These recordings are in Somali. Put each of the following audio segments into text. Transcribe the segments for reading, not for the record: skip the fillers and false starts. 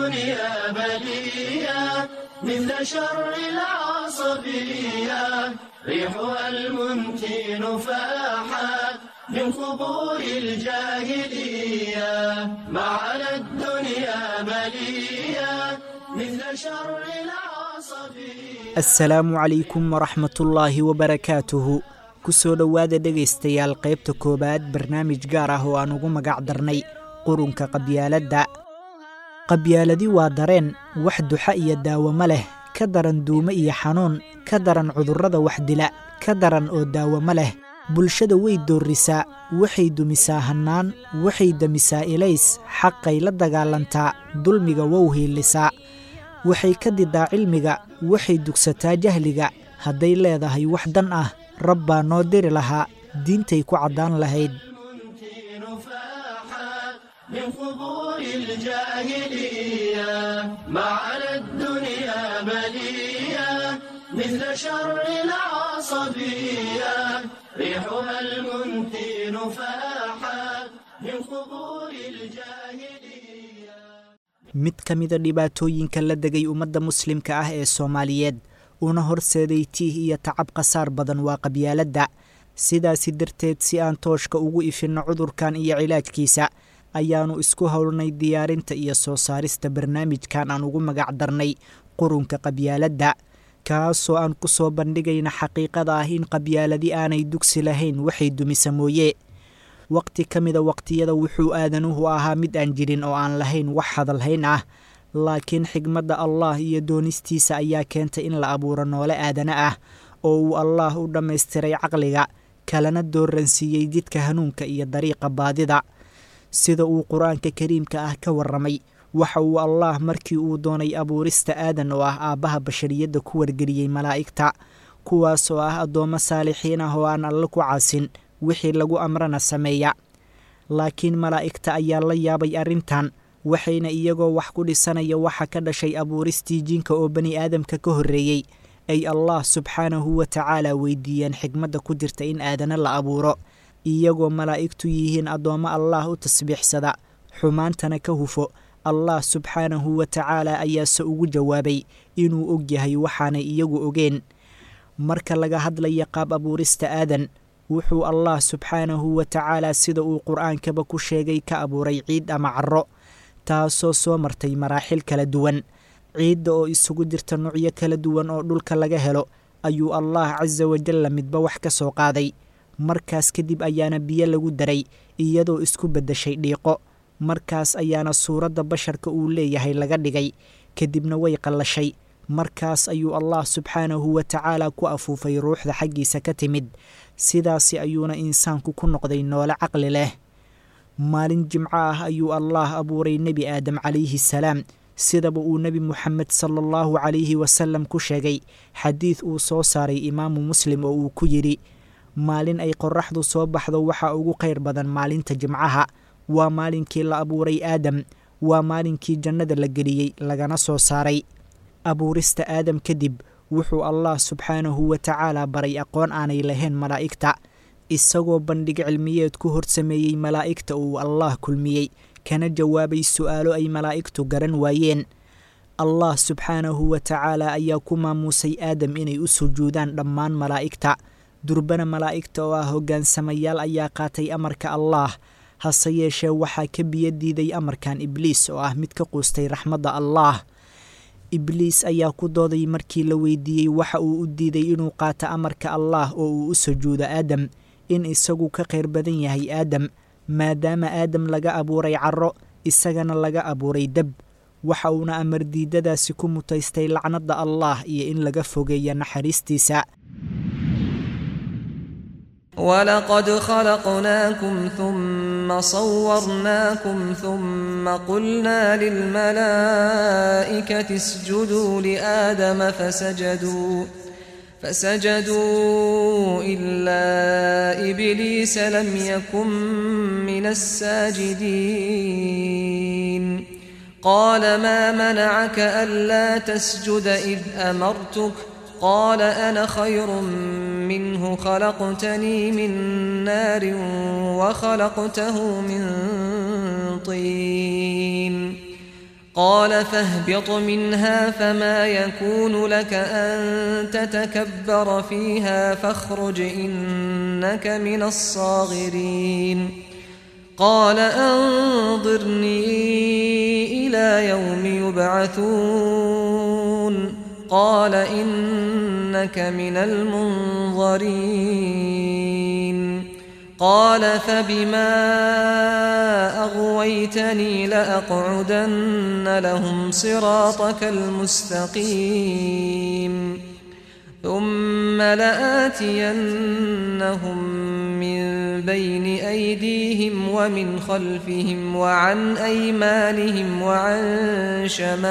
الدنيا بلية مثل شر العصبية، ريحها المنتن فاحت من قبور الجاهلية. ما على الدنيا بلية مثل شر العصبية. Assalaamu calaykum waraxmatullaahi wabarakaatuhu. Kusoo dhowaada dhegaystayaal qaybta koowaad barnaamij gaar ah oo aan ugu magac darnay qurunka qabyaaladda. Qabyaaladi waa dareen wax duxa iyo daawamo leh, ka daran duumo iyo xanuun, ka daran cudurrada wax dila, ka daran oo daawamo leh. Bulshada way doorrisaa, waxay dumisaa hannaan, waxay damisaa ilays, xaqay la dagaalantaa, dulmiga wow hiilisaa, waxay ka didaa cilmiga, waxay dugsataa jahliga. Hadday leedahay wax dan ah, rab baa noo diri lahaa, diintay ku caddaan lahayd. المنتن فاحت من قبور الجاهلية. ما على الدنيا بلية مثل شر العصبية، ريحها المنتن فاحت من قبور الجاهلية. Mid ka mida dhibaatooyinka la degay ummadda muslimka ah ee Soomaaliyeed una horseeday tiih iyo tacab khasaar badan waa qabyaaladda. Sidaasi darteed, si aan tooshka ugu ifinno cudurkan iyo cilaajkiisa, ayaannu isku howlnay diyaarinta iyo soo saarista barnaamijkan aan ugu magac darnay qurunka qabyaaladda, kaasoo aan ku soo bandhigayna xaqiiqada ah in qabyaaladi aanay dugsi lahayn, waxay dumisa mooye. Waqti ka mida waqtiyada wuxuu aadanuhu ahaa mid aan jirin oo aan lahayn wax hadalhayn ah, laakiin xigmadda Allah iyo doonistiisa ayaa keentay in la abuuro noole aadana ah oo uu Allaah u dhammaystiray caqliga, kalena dooransiiyey jidka hanuunka iyo dariiqa baadida. Sida uu Qur-aanka kariimka ah ka warramay, waxa uu Allaah markii uu doonay abuurista Aadan oo ah aabbaha bashariyadda ku wargeliyey malaa'igta, kuwaas oo ah addoommo saalixiin ah oo aan Alle ku caasin, wixii lagu amrana sameeya. Laakiin malaa'igta ayaa la yaabay arrintan, waxayna iyagoo wax ku dhisanaya waxa ka dhashay abuuristii jinka oo bani aadamka ka horreeyey ay Allah subxaanahu wa tacaala weydiiyeen xigmadda ku jirta in aadana la abuuro, iyagoo malaa'igtu yihiin addoommo Allaah u tasbiixsada, xumaantana ka hufo. Allah subxaanahu wa tacaala ayaase ugu jawaabay inuu og yahay waxaanay iyagu ogeen. Marka laga hadlaya qaab abuurista Aadan, wuxuu Allah subxaanahu wa tacaala, sida uu Qur-aankaba ku sheegay, ka abuuray ciid ama carro, taasoo soo martay maraaxil kala duwan. Ciidda oo isugu jirta nuucyo kala duwan oo dhulka laga helo ayuu Allah casa wajalla midba wax ka soo qaaday. Markaas kadib ayaana biyo lagu daray, iyadoo isku beddeshay dhiiqo. Markaas ayaana suuradda basharka uu leeyahay laga dhigay, kadibna way qallashay. Markaas ayuu Allah subxaanahu wa tacaala ku afuufay ruuxda xaggiisa ka timid, sidaasi ayuuna insaanku ku noqday noole caqli leh. Maalin jimco ah ayuu Allaah abuuray Nebi Aadam calayhi salaam, sidaba uu Nebi Muxamed sala allahu calayhi wasalam ku sheegay xadiid uu soo saaray Imaamu Muslim oo uu ku yidhi: "Maalin ay qorraxdu soo baxdo waxaa ugu khayr badan maalinta jimcaha. Waa maalinkii la abuuray Aadam, waa maalinkii jannada la geliyey lagana soo saaray." Abuurista Aadam kadib, wuxuu Allah subxaanahu wa tacaala baray aqoon aanay lahayn malaa'igta, isagoo bandhig cilmiyeed ku horsameeyey malaa'igta uu Allaah kulmiyey, kana jawaabay su'aalo ay malaa'igtu garan waayeen. Allah subxaanahu wa tacaala ayaa ku maamuusay Aadam inay u sujuudaan dhammaan malaa'igta. Durbana malaa'igta oo ah hoggaansamayaal ayaa qaatay amarka Allaah. Hase yeeshee, waxaa ka biyo diiday amarkan Ibliis oo ah mid ka quustay raxmadda Allaah. Ibliis ayaa ku dooday markii la weydiiyey waxa uu u diiday inuu qaato amarka Allaah oo uu u sujuudo Aadam, in isagu ka khayr badan yahay Aadam, maadaama Aadam laga abuuray carro, isagana laga abuuray dab. Waxa uuna amar diidadaasi ku mutaystay lacnadda Allaah iyo in laga fogeeya naxariistiisa. ولقد خلقناكم ثم صورناكم ثم قلنا للملائكة اسجدوا لآدم فسجدوا إلا إبليس لم يكن من الساجدين. قال ما منعك ألا تسجد إذ أمرتك؟ قال أنا خير منه، خلقتني من نار وخلقته من طين. قال فاهبط منها فما يكون لك أن تتكبر فيها فاخرج إنك من الصاغرين. قال أنظرني إلى يوم يبعثون. قال إنك من المنظرين. قال فبما أغويتني لأقعدن لهم صراطك المستقيم. ثم لآتينهم من بين أيديهم ومن خلفهم وعن أيمانهم وعن شمائلهم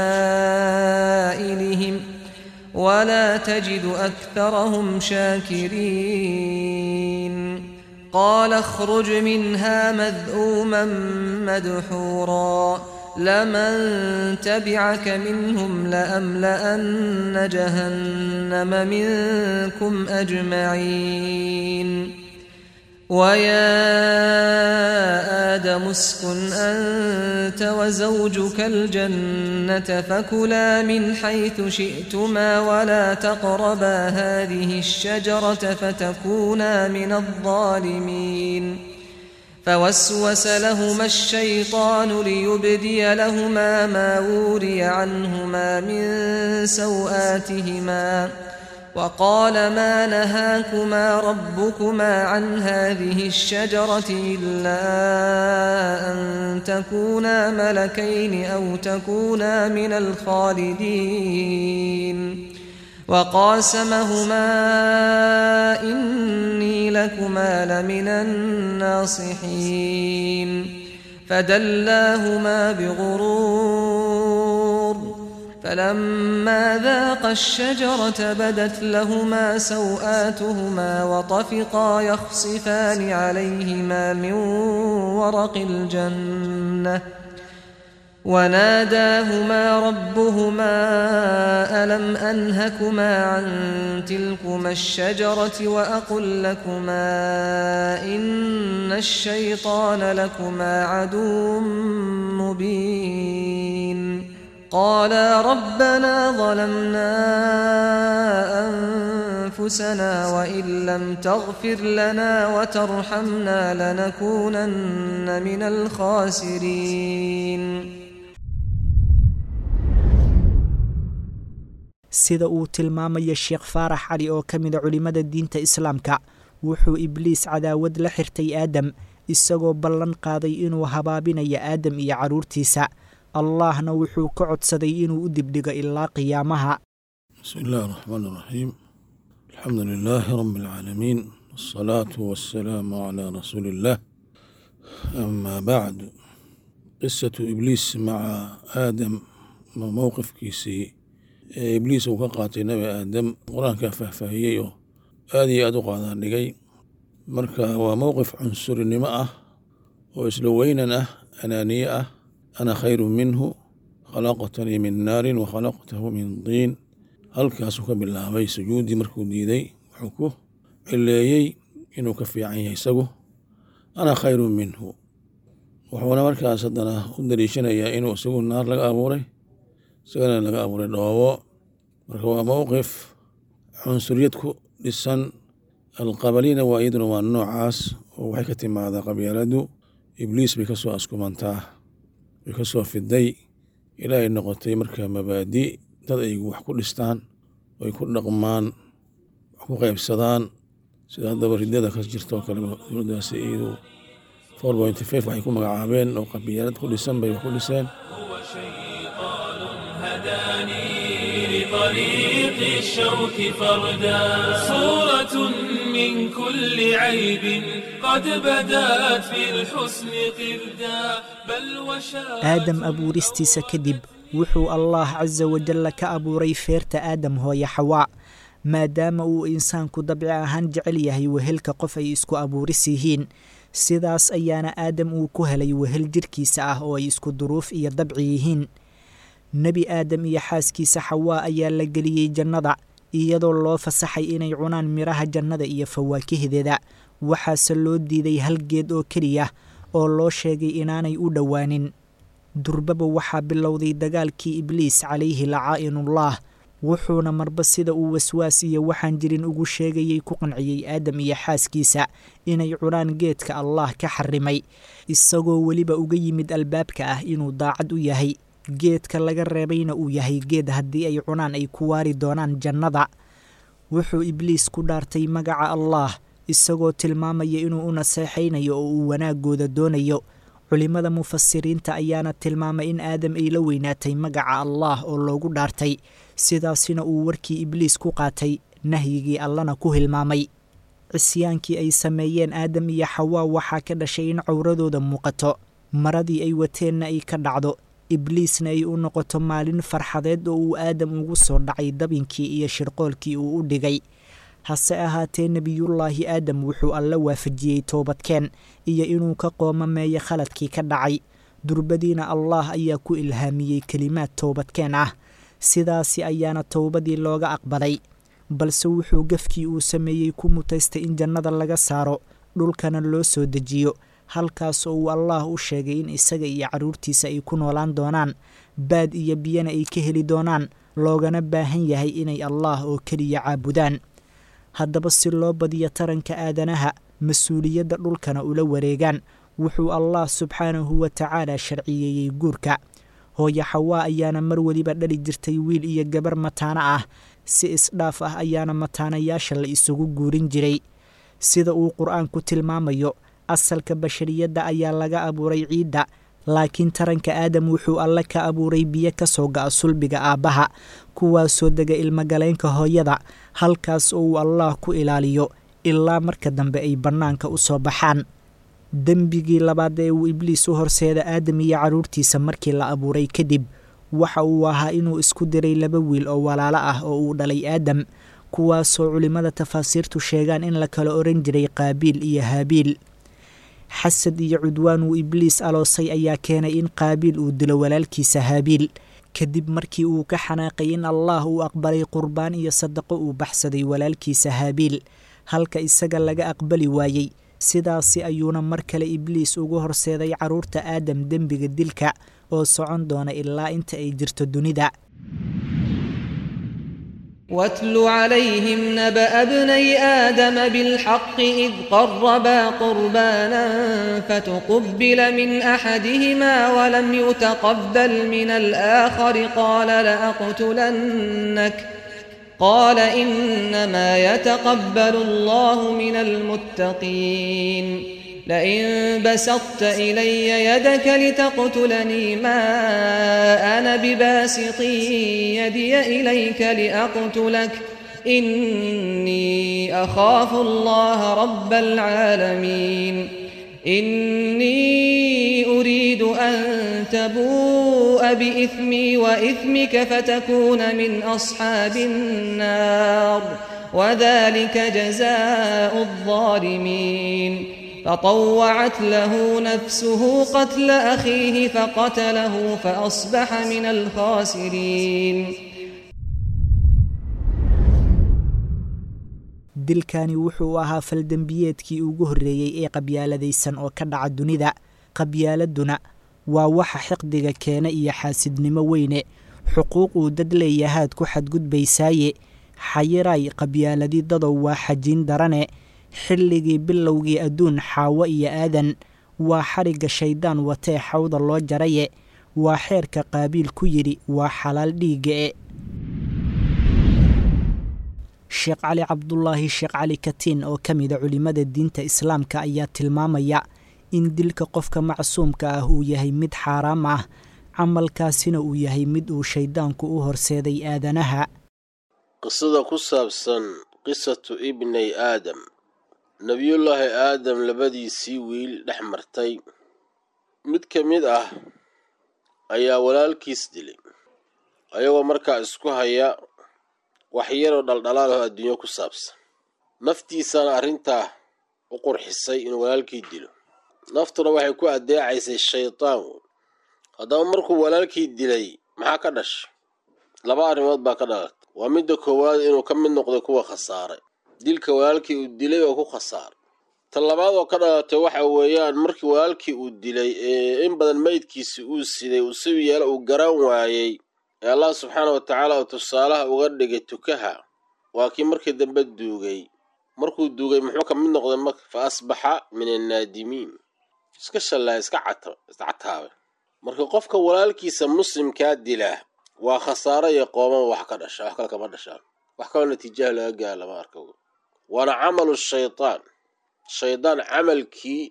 ولا تجد أكثرهم شاكرين. قال اخرج منها مذءوما مدحورا لمن تبعك منهم لأملأن جهنم منكم أجمعين. ويا آدم اسكن أنت وزوجك الجنة فكلا من حيث شئتما ولا تقربا هذه الشجرة فتكونا من الظالمين. فوسوس لهما الشيطان ليبدي لهما ما وري عنهما من سوآتهما وقال ما نهاكما ربكما عن هذه الشجرة إلا أن تكونا ملكين أو تكونا من الخالدين. وقاسمهما إني لكما لمن الناصحين. فدلاهما بغرور فلما ذاقا الشجرة بدت لهما سوآتهما وطفقا يخصفان عليهما من ورق الجنة وناداهما ربهما ألم أنهكما عن تلكما الشجرة وأقل لكما إن الشيطان لكما عدو مبين. قالا ربنا ظلمنا أنفسنا وإن لم تغفر لنا وترحمنا لنكونن من الخاسرين. Sida uu tilmaamaya Sheekh Faarax Cali oo ka mida culimada diinta Islaamka, wuxuu Ibliis cadaawad la xirtay Aadam, isagoo ballan qaaday inuu habaabinayo Aadam iyo carruurtiisa. Allahna wuxuu ka codsaday inuu u dibdhigo ilaa qiyaamaha. بسم الله الرحمن الرحيم. الحمد لله رب العالمين، والصلاة والسلام على رسول الله. أما بعد، قصة إبليس مع آدم، موقف كيسي Ibliis uu ka qaatay Nebi Aadam, Qur-aankaa faahfaahiyey oo aad iyo aad u qaadaan dhigay. Marka waa mowqif cunsurinimo ah oo isla weynan ah, anaaniye ah. Ana khayru minhu, khalaqtanii min naarin wa khalaqtahu min tiin. Halkaasuu ka bilaabay sujuuddii markuu diiday, wuxuu ku cileeyey inuu ka fiican yahay isagu, ana khayru minhu. Wuxuuna markaas haddana u daliishanayaa inuu isagu naar laga abuuray, isagana laga abuuray dhoobo. Marka waa mowqif cunsuriyad ku dhisan. Alqabalina waa iyaduna waa noocaas oo waxay ka timaadaa qabyaaladu. Ibliis bay kasoo askumantaa, way kasoo fiday ilaa ay noqotay marka mabaadi dad ay wax ku dhistaan, ay ku dhaqmaan, wax ku qaybsadaan, sida haddaba riddada ka jirta oo kale. Dowladdaasi iyadu 4.5 waxay ku magacaabeen oo qabyaalad ku dhisan bay wax ku dhiseen. لطريق الشوك فردا صورة من كل عيب قد بدت في الحسن قردا بل وشاء. Aadam abuuristiisa kadib, wuxuu Allah casa wajalla ka abuuray feerta Aadam hooye Xawaa. Maadaama uu insaanku dabci ahaan jecel yahay wehelka qof ay isku abuuris yihiin, sidaas ayaana Aadam uu ku helay wehel jirkiisa ah oo ay isku duruuf iyo dabci yihiin. Nebi Aadam iyo xaaskiisa Xawaa ayaa la geliyey jannada, iyadoo loo fasaxay inay cunaan midhaha jannada iyo fawaakihdeeda. Waxaase loo diiday hal geed oo keliya oo loo sheegay inaanay u dhowaanin. Durbaba waxaa bilowday dagaalkii Ibliis calayhi lacaa'inullaah, wuxuuna marba sida uu waswaas iyo waxaan jirin ugu sheegayey ku qanciyey Aadam iyo xaaskiisa inay cunaan geedka Allaah ka xarimay, isagoo weliba uga yimid albaabka ah inuu daacad u yahay, geedka laga reebayna uu yahay geed haddii ay cunaan ay ku waari doonaan jannada. Wuxuu Ibliis ku dhaartay magaca Allaah, isagoo tilmaamaya inuu u naseexaynayo oo uu wanaagooda doonayo. Culimmada mufasiriinta ayaana tilmaamay in Aadam ay la weynaatay magaca Allaah oo loogu dhaartay, sidaasina uu warkii Ibliis ku qaatay, nahyigii Allana ku hilmaamay. Cisyaankii ay sameeyeen Aadam iyo Xawaa waxaa ka dhashay in cawradooda muuqato, maradii ay wateenna ay ka dhacdo, Ibliisna ay u noqoto maalin farxadeed oo uu Aadam ugu soo dhacay dabinkii iyo shirqoolkii uu u dhigay. Hase ahaatee, Nebiyullaahi Aadam wuxuu Alle waafajiyey toobadkeen iyo inuu ka qoomameeyo khaladkii ka dhacay. Durbadiina Allaah ayaa ku ilhaamiyey kelimaad toobadkeen ah, sidaasi ayaana towbadii looga aqbalay. Balse wuxuu gafkii uu sameeyey ku mutaystay in jannada laga saaro, dhulkana loo soo dejiyo, halkaas oo uu Allaah u sheegay in isaga iyo carruurtiisa ay ku noolaan doonaan, baad iyo biyana ay ka heli doonaan, loogana baahan yahay inay Allaah oo keliya caabudaan. Haddaba si loo badiyo taranka aadanaha, mas-uuliyadda dhulkana ula wareegaan, wuxuu Allaah subxaanahu wa tacaala sharciyeeyey guurka. Hooyo Xawaa ayaana mar weliba dhali jirtay wiil iyo gabar mataano ah, si isdhaaf ah ayaana mataanayaasha la isugu guurin jiray. Sida uu Qur-aanku tilmaamayo, asalka bashariyadda ayaa laga abuuray ciidda, laakiin taranka Aadam wuxuu Alle ka abuuray biyo ka soo ga'a sulbiga aabbaha, kuwaasoo dega ilmogaleenka hooyada, halkaas oo uu Allaah ku ilaaliyo ilaa marka dambe ay bannaanka u soo baxaan. Dembigii labaad ee uu Ibliis u horseeda Aadam iyo carruurtiisa markii la abuuray kadib waxa uu ahaa inuu isku diray laba wiil oo walaalo ah oo uu dhalay Aadam, kuwaasoo culimmada tafaasiirtu sheegaan in la kala oran jiray Qaabiil iyo Haabiil. Xasad iyo cudwaan uu Ibliis aloosay ayaa keenay in Qaabiil uu dilo walaalkiisa Haabiil, kadib markii uu ka xanaaqay in Allaah uu aqbalay qurbaan iyo sadaqo uu baxsaday walaalkiisa Haabiil, halka isaga laga aqbali waayey. Sidaasi ayuuna mar kale Ibliis ugu horseeday carruurta Aadam dembiga dilka oo socon doona ilaa inta ay jirto dunida. واتل عليهم نبأ ابني آدم بالحق إذ قربا قربانا فتقبل من أحدهما ولم يتقبل من الآخر قال لأقتلنك قال إنما يتقبل الله من المتقين لئن بسطت إلي يدك لتقتلني ما أنا بباسط يدي إليك لأقتلك إني أخاف الله رب العالمين إني أريد أن تبوء بإثمي وإثمك فتكون من أصحاب النار وذلك جزاء الظالمين فطوعت له نفسه قتل أخيه فقتله فأصبح من الخاسرين. Dilkani wuxuu ahaa faldembiyeedkii ugu horreeyey ee qabyaaladaysan oo ka dhaca dunida. Qabyaaladuna waa waxa xiqdiga keena iyo xaasidnimo weyne, xuquuq uu dad leeyahaad ku xadgudbaysaaye. Xayiray qabyaaladi dadow waa xajiin darane. Xilligii bilowgii adduun Xaawo iyo Aadan waa xarigga shayddaan watee xawda loo jaraye. Waa xeerka Qaabiil ku yidhi waa xalaal dhiigga e. Sheekh Cali Cabdulaahi Sheekh Cali Katiin oo ka mida culimmada diinta Islaamka ayaa tilmaamaya in dilka qofka macsuumka ah uu yahay mid xaaraam ah, camalkaasina uu yahay mid uu shayddaanku u horseeday aadanaha. Qisada ku saabsan qisatu ibnay Aadam, Nebiyullaahi Aadam labadiisii wiil dhex martay, mid ka mid ah ayaa walaalkiis dilay, ayagoo markaa isku haya wax yaroo dhaldhalaalaho adduunyo ku saabsan. Naftiisana arrintaa u qurxisay inuu walaalkii dilo, naftuna waxay ku addeecaysay shaydaan. Haddaba markuu walaalkii dilay maxaa ka dhashay? Laba arrimood baa ka dhalatay. Waa midda koowaad, inuu ka mid noqday kuwa khasaaray dilka walaalkii uu dilay oo ku khasaaray. Ta labaad oo ka dhalatay waxa weeyaan markii walaalkii uu dilay ee in badan meydkiisi uu siday uu si yeelo uu garan waayey ee Allah subxaana wa tacaala uu tusaalaha uga dhigay tukaha, waa kii markii dambe duugay. Markuu duugay muxuu ka mid noqday marka? Fa asbaxa min annaadimiin, iska shallaay, iska cata, iska cataabay. Marka qofka walaalkiisa muslimkaa dila waa khasaaro iyo qooman wax ka dhasha, wax kale kama dhashaan, wax kaloo natiijaha laga gaara lama arko. Waana camalu shaytaan, shaydaan camalkii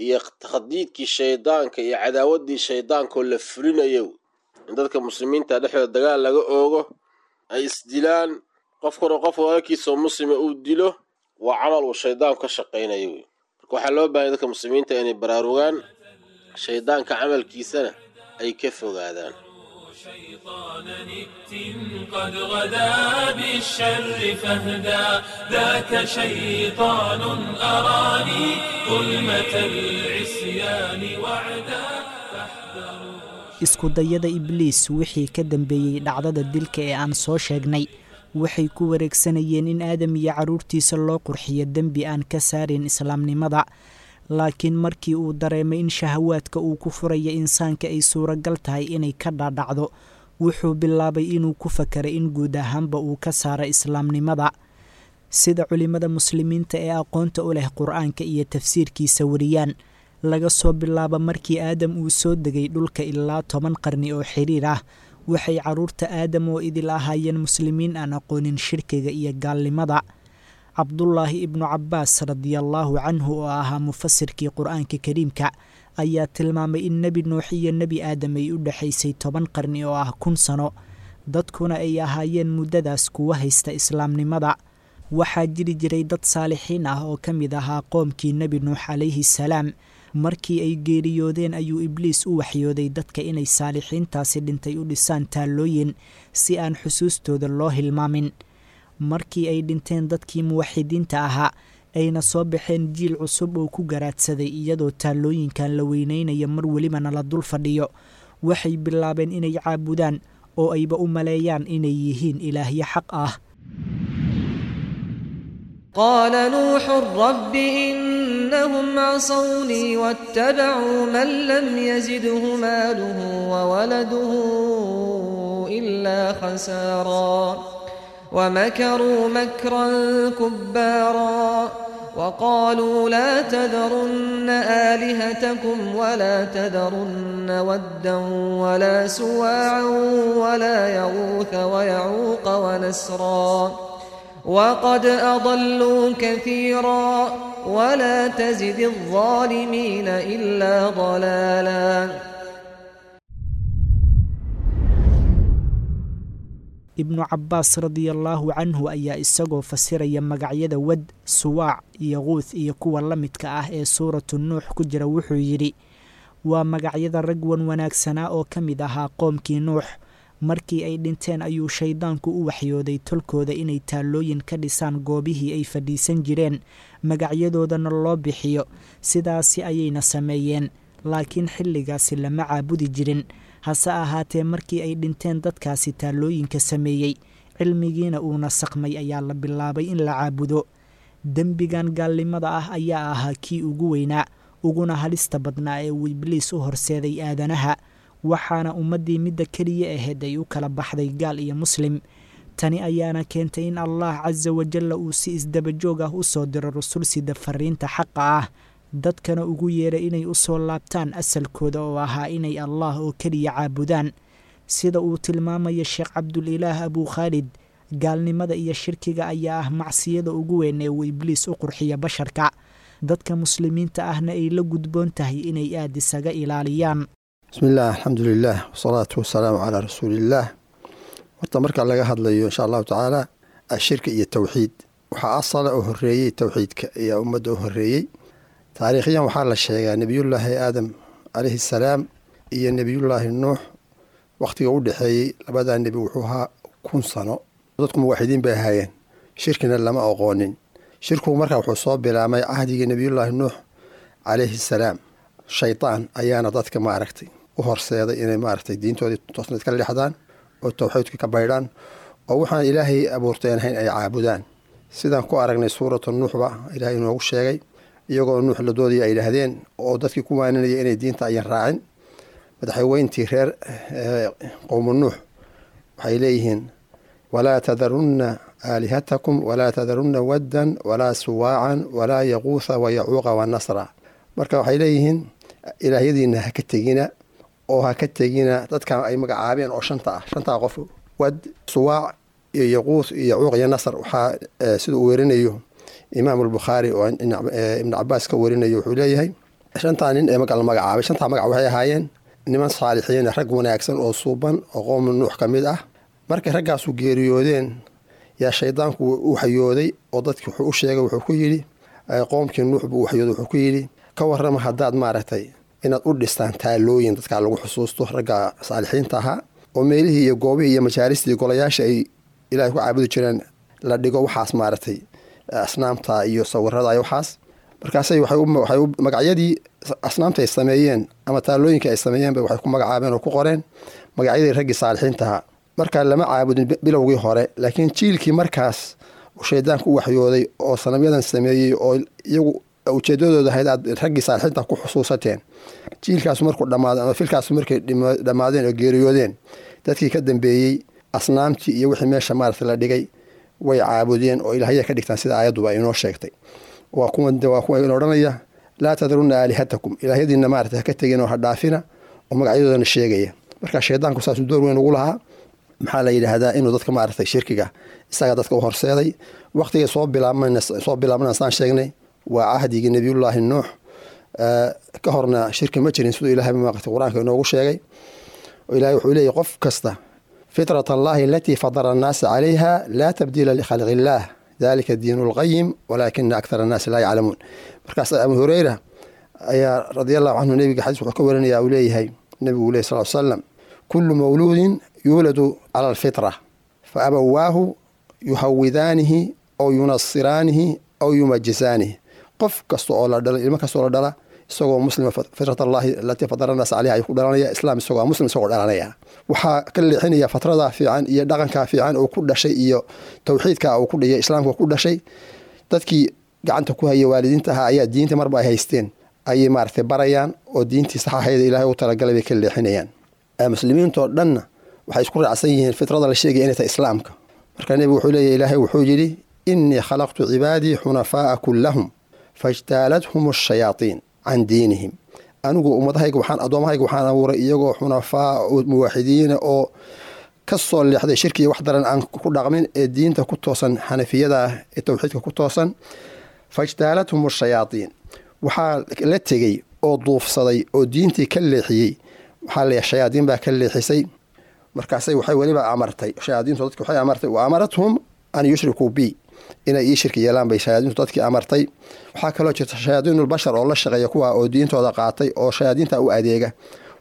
iyo takhdiidkii shaydaanka iyo cadaawaddii shaydaankaoo la fulinayo in dadka muslimiinta dhexdooda dagaal laga oogo, ay isdilaan, qofkuna qof walaalkiisoo muslima uu dilo, waa camal uu shaydaanku ka shaqaynayo wey. Marka waxaa loo baahanya dadka muslimiinta inay baraarugaan, shaydaanka camalkiisana ay ka fogaadaan. شيطان نت قد غدا بالشر فاهدى، ذاك شيطان أراني ظلمة العصيان وعدا، فاحذروا. Isku dayada Ibliis wixii ka dambeeyey dhacdada dilka ee aan soo sheegnay waxay ku wareegsanayeen in Aadam iyo carruurtiisa loo qurxiyo dembi aan ka saarin islaamnimada. Laakiin markii uu dareemay in shahawaadka uu ku furaya insaanka ay suuragal tahay inay ka dhaadhacdo, wuxuu bilaabay inuu ku fakaray in guud ahaanba uu ka saaro islaamnimada. Sida culimmada muslimiinta ee aqoonta u leh Qur-aanka iyo tafsiirkiisa wariyaan, laga soo bilaabo markii Aadam uu soo degay dhulka ilaa 10 qarni oo xiriir ah, waxay carruurta Aadam oo idil ahaayeen muslimiin aan aqoonin shirkiga iyo gaalnimada. Cabdulaahi Ibnu Cabbaas radiallaahu canhu, oo ahaa mufasirkii Qur-aanka Kariimka, ayaa tilmaamay in Nebi Nuux iyo Nebi Aadam ay u dhexaysay 10 qarni oo ah 1000 sano, dadkuna ay ahaayeen muddadaas kuwa haysta islaamnimada. Waxaa jiri jiray dad saalixiin ah oo ka mid ahaa qoomkii Nebi Nuux calayhi salaam. Markii ay geeriyoodeen ayuu Ibliis u waxyooday dadka inay saalixiintaasi dhintay u dhisaan taallooyin si aan xusuustooda loo hilmaamin. Markii ay dhinteen dadkii muwaxidiinta ahaa, ayna soo baxeen jiil cusub oo ku garaadsaday iyadoo taallooyinkan la weyneynayo mar welibana la dul fadhiyo, waxay bilaabeen inay caabudaan oo ayba u maleeyaan inay yihiin ilaahyo xaq ah. قال نوح رب إنهم عصوني واتبعوا من لم يزده ماله وولده إلا خسارا، ومكروا مكرا كبارا، وقالوا لا تذرن آلهتكم ولا تذرن ودا ولا سواعا ولا يغوث ويعوق ونسرا، وقد أضلوا كثيرا، ولا تزد الظالمين إلا ضلالا. Ibnu Cabbaas radiallaahu canhu ayaa isagoo fasiraya magacyada Wad, Suwaac iyo Quuth iyo kuwa la midka ah ee Suuratu Nuux ku jira wuxuu yidhi: waa magacyada rag wan wanaagsanaa oo ka mid ahaa qoomkii Nuux. Markii ay dhinteen ayuu shaydaanku u waxyooday tolkooda inay taallooyin ka dhisaan goobihii ay fadhiisan jireen, magacyadoodana loo bixiyo. Sidaasi ayayna sameeyeen, laakiin xilligaasi lama caabudi jirin. Hase ahaatee, markii ay dhinteen dadkaasi taallooyinka sameeyey, cilmigiina uu nasaqmay, ayaa la bilaabay in la caabudo. Dembigan gaalnimada ah ayaa ahaa kii ugu weynaa uguna halista badnaa ee uu Ibliis u horseeday aadanaha, waxaana ummaddii midda keliya ahayd ay u kala baxday gaal iyo muslim. Tani ayaana keentay in Allah casa wajalla uu si isdabajoog ah u soo diro rusul sida fariinta xaqa ah, dadkana ugu yeeray inay u soo laabtaan asalkooda oo ahaa inay Allah oo keliya caabudaan. Sida uu tilmaamaya Sheekh Cabdulilaah Abukhaalid, gaalnimada iyo shirkiga ayaa ah macsiyada ugu weyn ee uu Ibliis u qurxiyo basharka, dadka muslimiinta ahna ay la gudboon tahay inay aad isaga ilaaliyaan. Bismi illaah, alxamdulilah, wasalaatu wasalaamu calaa rasuuliillaah. Horta marka laga hadlayo, insha allahu tacaala, ashirka iyo towxiid, waxaa asala oo horeeyey towxiidka ayaa ummadda u horeeyey. Taariikhyan waxaa la sheegaa nebiyullaahi Aadam calayhi salaam iyo nebiyullaahi Nuux wakhtiga u dhexeeyey labadaa nebi wuxuu ahaa 1000 sano. Dadku muwaxidiin bay ahaayeen, shirkina lama aqoonin. Shirkigu markaa wuxuu soo bilaabmay cahdigii nebiyullaahi Nuux calayhi salaam. Shaydaan ayaana dadka maaragtay u horseeday inay maaragtay diintoodii toosneed ka leexdaan oo towxiidka ka baydhaan oo waxaan Ilaahay abuurteen ahayn ay caabudaan, sidaan ku aragnay Suuratu Nuuxba Ilaahay inoogu sheegay. Iyagoo Nuux la doodaya ay yidhaahdeen oo dadkii ku waaninaya inay diinta ayan raacin. Madaxweyntii reer qowmu Nuux waxay leeyihiin walaa tadarunna aalihatakum walaa tadarunna waddan walaa suwaacan walaa yaquutha wayacuuqa wanasra. Marka waxay leeyihiin ilaahyadiina ha ka tegina oo ha ka tegina dadkan ay magacaabeen oo shanta ah, shantaa qof, Wad, Suwaac iyo Yaquuth iyo Yacuuq iyo Nasr. Waxaa sida uu werinayo Imaam Albukhaari oo Ibn Cabaas ka werinayo, wuxuu leeyahay shantaa nin ee magac la magacaabay, shantaa magac waxay ahaayeen niman saalixiin, rag wanaagsan oo suuban oo qowmu Nuux ka mid ah. Markay raggaasu geeriyoodeen yaa shaydaanku u waxyooday oo dadki wuxuu u sheegay, wuxuu ku yidhi qoomkii Nuux buu u waxyooday, wuxuu ku yidhi ka warrama haddaad maaragtay inaad u dhistaan taalooyin dadkaa lagu xusuusto, ragga saalixiinta ahaa, oo meelihii iyo goobihii iyo majaalistii golayaasha ay Ilaahay ku caabudi jireen la dhigo waxaas maaragtay asnaamta iyo sawirada iyo waxaas. Markaasay waxay magacyadii asnaamta ay sameeyeen ama taalooyinka ay sameeyeenba waxay ku magacaabeen oo ku qoreen magacyadii raggii saalixiinta ahaa. Marka lama caabudin bilowgii hore, laakiin jiilkii markaas uu shaydaanku u waxyooday oo sanamyadan sameeyey oo iyagu ujeedadooda ahayd aad raggii saalixiinta ku xusuusateen, jiilkaasu markuu dhammaaday ama filkaasu markay dhammaadeen oo geeriyoodeen, dadkii ka dambeeyey asnaamtii iyo wixii meesha maaragtay la dhigay way caabudeen oo ilaahya ka dhigtaan, sida aayadduba inoo sheegtay. Waa kuwa in odhanaya laa tadarunna aalihatakum, ilaahyadiina maaragtay ha ka tegin oo ha dhaafina, oo magacyadoodana sheegaya. Marka shaydaanku saasuu door weyn ugu lahaa, maxaa la yidhaahdaa, inuu dadka maaragtay shirkiga isaga dadka u horseeday. Waqtigay soo bilaabmana saan sheegnay waa cahdigii Nabiyullaahi Nuux. Ka horna shirki ma jirin, siduu Ilahay maaragtay Qur-aanka inoogu sheegay. Oo Ilahay wuxuu leeyahy qof kasta fitrat Allahi alatii fadara annaasa calayha laa tabdiila likhalqi illaah dalika diinu lqayim walaakina akthara annaasi laa yaclamuun. Markaas Abu Hureyra ayaa radia allahu canhu nebiga xadiis wuxuu ka warinaya uu leeyahay nebigu uu lehy sal slam kullu mawluudin yuuladu cala alfitra fa abawaahu yuhawidaanihi aw yunasiraanihi aw yumajisaanihi. Qof kasta oo la dhala, ilmo kasta oo la dhala isagoo muslima, fitrat Allahi alatii fadara annaas caleyha ayuu ku dhalanaya islaam, isagoo muslim isagoo dhalanaya. Waxaa ka leexinaya fatradaa fiican iyo dhaqankaa fiican oo ku dhashay iyo tawxiidka uu ku dhiyay islaamka ku dhashay. Dadkii gacanta ku haya waalidiinta ahaa ayaa diinta marba ay haysteen ayay maaragtay barayaan oo diintii sax ahayd Ilaahay u talagalay bay ka leexinayaan. Muslimiintoo dhanna waxay isku raacsan yihiin fitrada la sheegaya inay tahay islaamka. Marka nebigu wuxuu leeyahy Ilaahay wuxuu yidhi innii khalaqtu cibaadii xunafaa'a kullahum fajtaalathum ashayaatiin can diinihim. Anigu ummadahayga waxaan addoomahayga waxaan abuuray iyagoo xunafaa oo muwaaxidiina oo ka soo leexday shirki iyo wax daran aan ku dhaqmin ee diinta ku toosan, xanafiyada ah ee tawxiidka ku toosan. Fajtaalathum ashayaatiin, waxaa la tegey oo duufsaday oo diintii ka leexiyey, waxaa la shayaadiin baa ka leexisay. Markaasay waxay weliba amartay shayaadiintu dadki, waxay amartay wa amarathum an yushrikuu bi, inay ii shirki yeelaan bay shayaadiintu dadkii amartay. Waxaa kaloo jirta shayaadiinulbashar oo la shaqeeya kuwa oo diintooda qaatay oo shayaadiinta u adeega.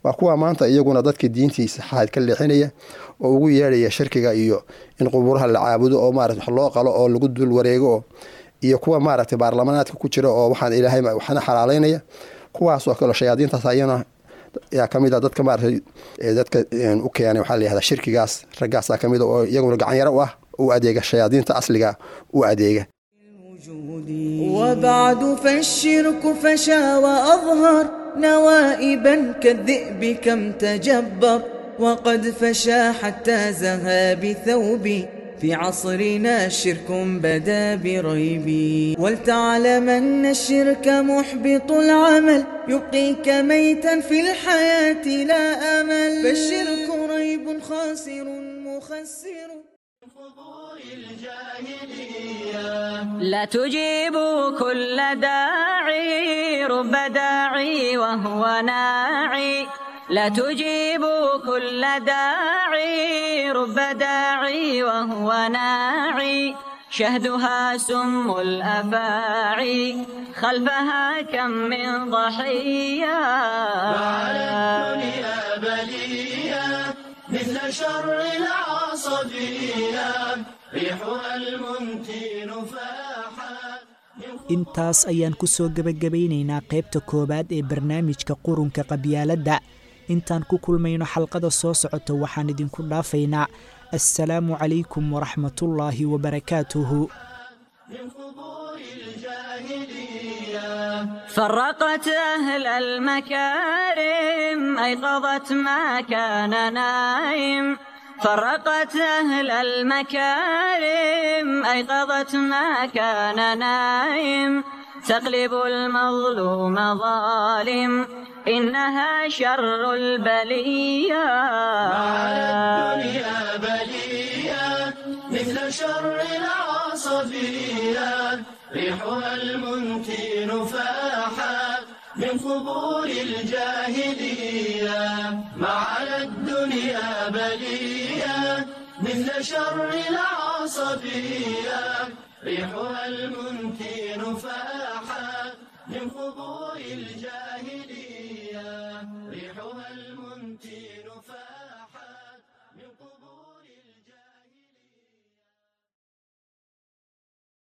Waa kuwa maanta iyaguna dadkii diintii saxaad ka leexinaya oo ugu yeedhaya shirkiga iyo in qubuuraha la caabudo oo maarata wax loo qalo oo lagu dul wareego oo iyo kuwa maaragtay baarlamanaadka ku jira oo waxaan Ilaahay waxna xalaaleynaya, kuwaas oo kale shayaadiintaas ayana yaa ka mid ah dadka maaragtay dadka u keenay waxaa la yihahdaa shirkigaas. Raggaasaa ka mid a oo iyaguna gacan yaro u ah, u adeega shayaadiinta asliga u adeega. وبعد فالشرك فشا وأظهر نوائبا كالذئب كم تجبر وقد فشا حتى زها بثوبي في عصرنا شرك بدا بريبي. ولتعلمن الشرك محبط العمل يبقيك ميتا في الحياة لا أمل فالشرك ريب خاسر مخسر. لا تجيب كل داعي رب داعي وهو ناعي، لا تجيب كل داعي رب داعي وهو ناعي، شهدها سم الأفاعي خلفها كم من ضحية. وعلى الدنيا بلية مثل شر العصبية ريحها المنتن فاحا. Intaas ayaan ku soo gebagabaynaynaa qaybta koowaad ee barnaamijka Qurunka Qabyaaladda. Intaan ku kulmayno xalqada soo socota waxaan idinku dhaafaynaa assalaamu calaykum waraxmatullaahi wabarakaatuhu. من قبور الجاهلية. فرقت أهل المكارم، أيقظت ما كان نايم. فرقت أهل المكارم، أيقظت ما كان نايم. تقلب المظلوم ظالم، إنها شر البلية. على الدنيا بلية مثل شر العصبية، ريحها المنتن فاحت من قبور الجاهلية. ما على الدنيا بلية مثل شر العصبية، ريحها المنتن فاحت من قبور الجاهلية.